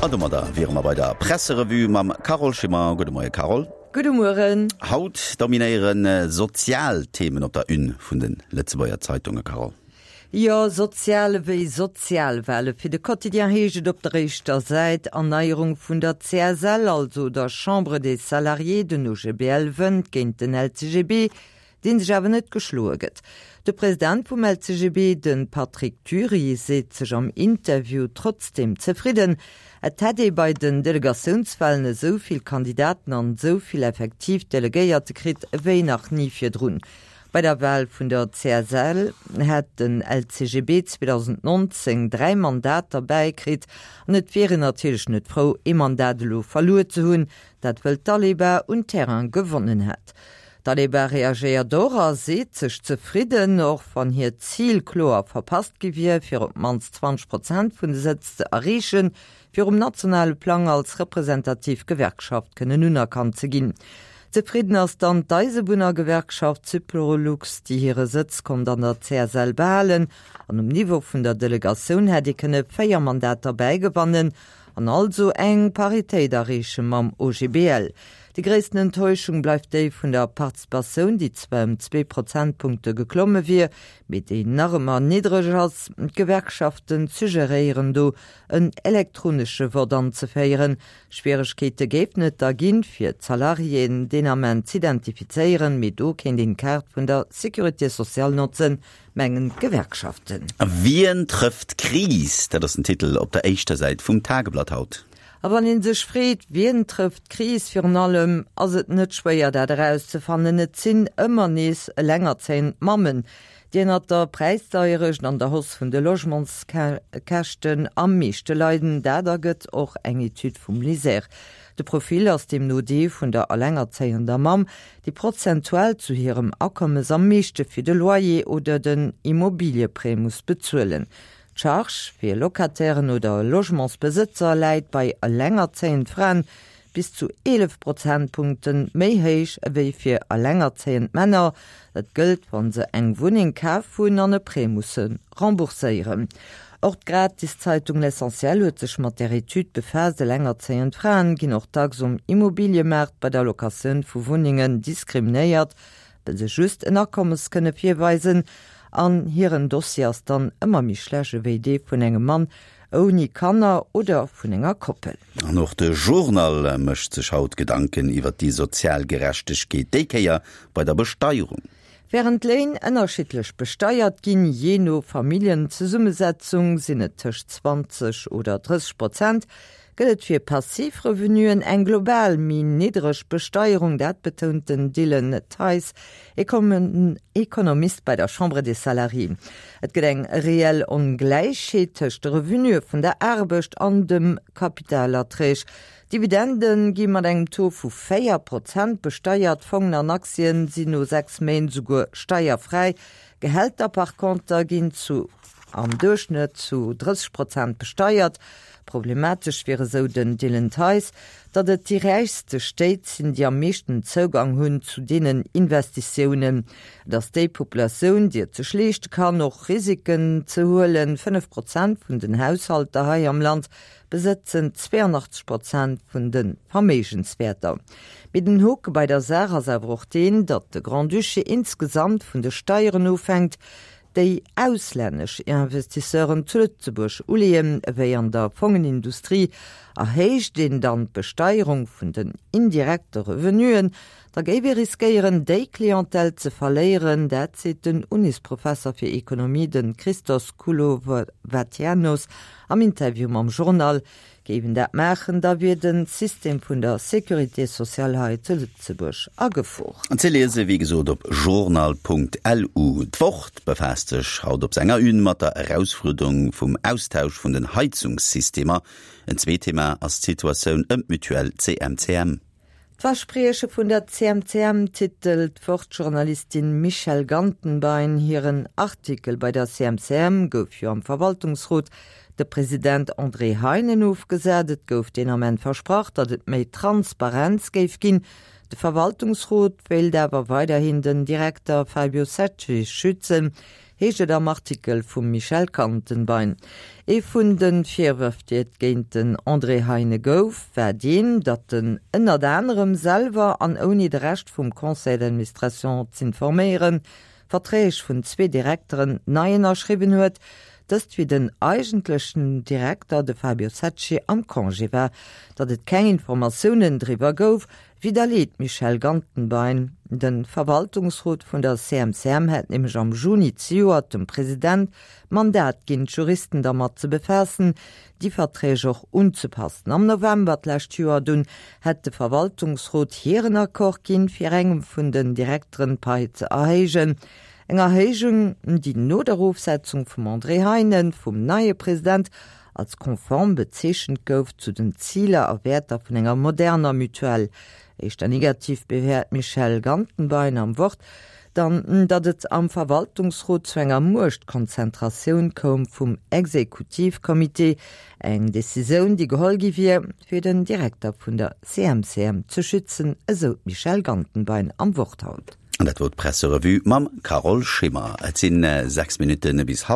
An domadder wiere mer bei der Presserevue mam Carole Schimmer. Gudde Moie Carole. Gudde Mueren. Haut dominéiere sozial Themen op der Une vun de Lëtzebuerger Zeitunge, Carole. Jo, sozial ewéi Sozialwale. Fir de Quotidien heescht et op der éischter Säit, Erneierung vun der CSL, also der Chambre des Salariés. Den OGBL wënnt géint den LCGB, dee sech awer net geschloe gëtt. De President vum LCGB, de Patrick Dury, seet sech am Interview trotzdeem zefridden. Et hätt ee bei den Delegatiounswalen esou vill Kandidaten an esou vill effektiv Delegéierte kritt ewéi nach ni virdrun. Bei der Wal vun der CSL hätt den LCGB 2019 3 Mandater bäikritt an et wier een natierlech net frou, ee Mandat elo verluer ze hunn, dat wëll d'Aleba un Terrain gewonnen hätt. D'Aleba reagéiert och a seet sech zefridden, och wann hiert Zil kloer verpasst gi wier, fir op d'mannst 20 Prozent vun de Sëtz ze erreechen, fir um nationale Plang als representativ Gewerkschaft kënnen unerkannt ze ginn. Zefridden ass dann d'Eisebunnergewerkschaft Syprolux, déi hire Sëtz konnt an der CSL behalen. An um Niveau vun der Delegatioun hätt ee kënne 4 Mandater bäigewannen an also eng Paritéit erreeche mam OGBL. Déi gréissten Enttäuschung bleift déi vun der Participatioun, déi zwar ëm zwee Prozentpunkte geklomme wier, mee déi nach ëmmer niddreg ass. D'Gewerkschaften suggeréieren do en elektronesche Vott anzeféieren. Schwieregkeete géifen et da ginn, fir d'Salariéen deen Ament z'identifizéieren, mee do kéint een d'Kaart vun der Sécurité sociale notzen, mengen d'Gewerkschaften. Wien trëfft d'Kris? Dat ass den Titel op der éischter Säit vum Tageblatt haut. A wann ee sech freet, Wien trëfft d'Kris? Virun allem ass et net schwéier, dat erauszefannen, Et sinn ëmmer nees elengerzéiend Mammen, déi ënnert der Präisdeierecht an der Hausse vun de Logementskäschten am meeschte leiden. Dat ergëtt och eng Etüd vum LISER. De Profil ass deemno dee vun der elengerzéiender Mamm, déi prozentual zu hirem Akommes am meeschte fir de Loyer oder den Immobilieprêt muss bezuelen. D'Charge fir Locatairen oder Logementsbesëtzer läit bei elengerzéiend Fraen bis zu 11 Prozentpunkte méi héich ewéi fir elengerzéiend Männer. Dat gëllt, wa se eng Wunneng kaf hunn an e Prêt musse rembourséieren. Och d'Gratiszeitung L'Essentiel huet sech mat där Etüd befaasst. Elengerzéiend Fraen ginn och dacks um Immobiliëmaart bei der Locatioun vu Wunnengen diskriminéiert, well se just en Akommes kënne virweisen an hiren Dossier ass dann ëmmer méi schlecht ewéi dee vun engem Mann ouni Kanner oder vun enger Koppel. An och de Journal mécht sech haut Gedanken iwwer déi sozial Gerechtegkeet, déi Kéier bei der Besteierung. Wärend d'Léin ënnerschiddlech besteiert ginn, jee no Familljenzesummesetzung sinn et tëscht 20 oder 30 Prozent, gëtt et fir passiv Revenuen eng global méi niddreg Besteierung. Dat betount den Dylan Theis, Ekonomist bei der Chambre des Salariés. Et gëtt eng reell Ongläichheet tëscht de Revenuë vun der Aarbecht an dem Kapitalerträg. Dividende gi mat engem Taux vu 4 Prozent besteiert, Fongen an Aktien sinn no 6 Méint esouguer steierfräi. Gehälter par conter ginn zu am Duerchschnëtt zu 30 Prozent besteiert. Problematesch wier, esou den Dylan Theis, datt et déi räichste Stéit sinn, déi am meeschten Zougang hunn zu deenen Investitiounen. Et ass déi Populatioun, déi et sech leeschte kann, och Risiken ze huelen. 5 Prozent vun den Haushalter hei am Land besëtzen 82 Prozent vun de Verméigenswäerter. Mee den Hoke bei der Saach ass awer och deen, datt de Grand-Duché insgesamt vun de Steieren ofhänkt, déi auslännesch Investisseuren zu Lëtzebuerg uleeën, ewéi an der Fongenindustrie, erhéicht een dann d'Besteierung vun den indirekte Revenuen, da géif ee riskéieren, déi Clientèle ze verléieren. Dat seet den Unisprofesser fir Ekonomie, de Christos Koulovatianos, am Interview mam Journal. Géif een dat maachen, da wier de System vun der Sécurité sociale hei zu Lëtzebuerg a Gefor. Ze liese wéi gesot op journal.lu. D'Wort befaasst sech haut op senger Une mat der Erausfuerderung vum Austausch vun den Heizungssystemer. En zweet Thema ass d'Situatioun ëm d'Mutuelle CMCM. D'Versprieche vun der CMCM titelt d'Wort-Journalistin Michèle Gantenbein hiren Artikel. Bei der CMCM gouf jo am Verwaltungsrot de President André Heinen ofgesat. Et gouf deen Ament versprach, datt et méi Transparenz géif ginn. De Verwaltungsrot wéilt awer weiderhin den Direkter Fabio Secci schützen. Heescht et am Artikel vum Michel Gantenbein. Ee vun de Virwërf, déi et géint den André Heine gouf, war deen, datt en ënnert anerem selwer an ouni de Rescht vum Conseil d'administration z'informéieren, Verträg vun zwee Direkteren nei ënnerschriwwen huet, dëst wéi den eigentlechen Direkter, de Fabio Secci, am Congé war. Datt et keng Informatiounen driwwer gouf, Widderleet d'Michèle Gantenbein. De Verwaltungsrot vun der CMCM hätt nämlech am Juni zejoert dem President d'Mandat ginn, d'Juristen dermat ze befaassen, déi Verträg och unzepassen. Am November d'lescht Joer dunn hätt de Verwaltungsrot hiren Accord ginn, fir engem vun den Direkteren d'Pai ze erhéijen. Eng Erhéijung, déi no der Ofsetzung vum André Heinen vum neie President als konform bezeechent gouf zu den Ziler a Wäerter vun enger moderner Mutuelle. Éischter negativ bewäert d'Michèle Gantenbein am Wort dann, datt et am Verwaltungsrot zu enger Muechtkonzentratioun koum vum Exekutivcomité, eng Decisioun, déi geholl gi wier, fir den Direkter vun der CMCM ze schützen, esou d'Michèle Gantenbein am Wort haut. An dat wor d'Presserevue mam Carole Schimmer. Et sinn 6 Minutten bis.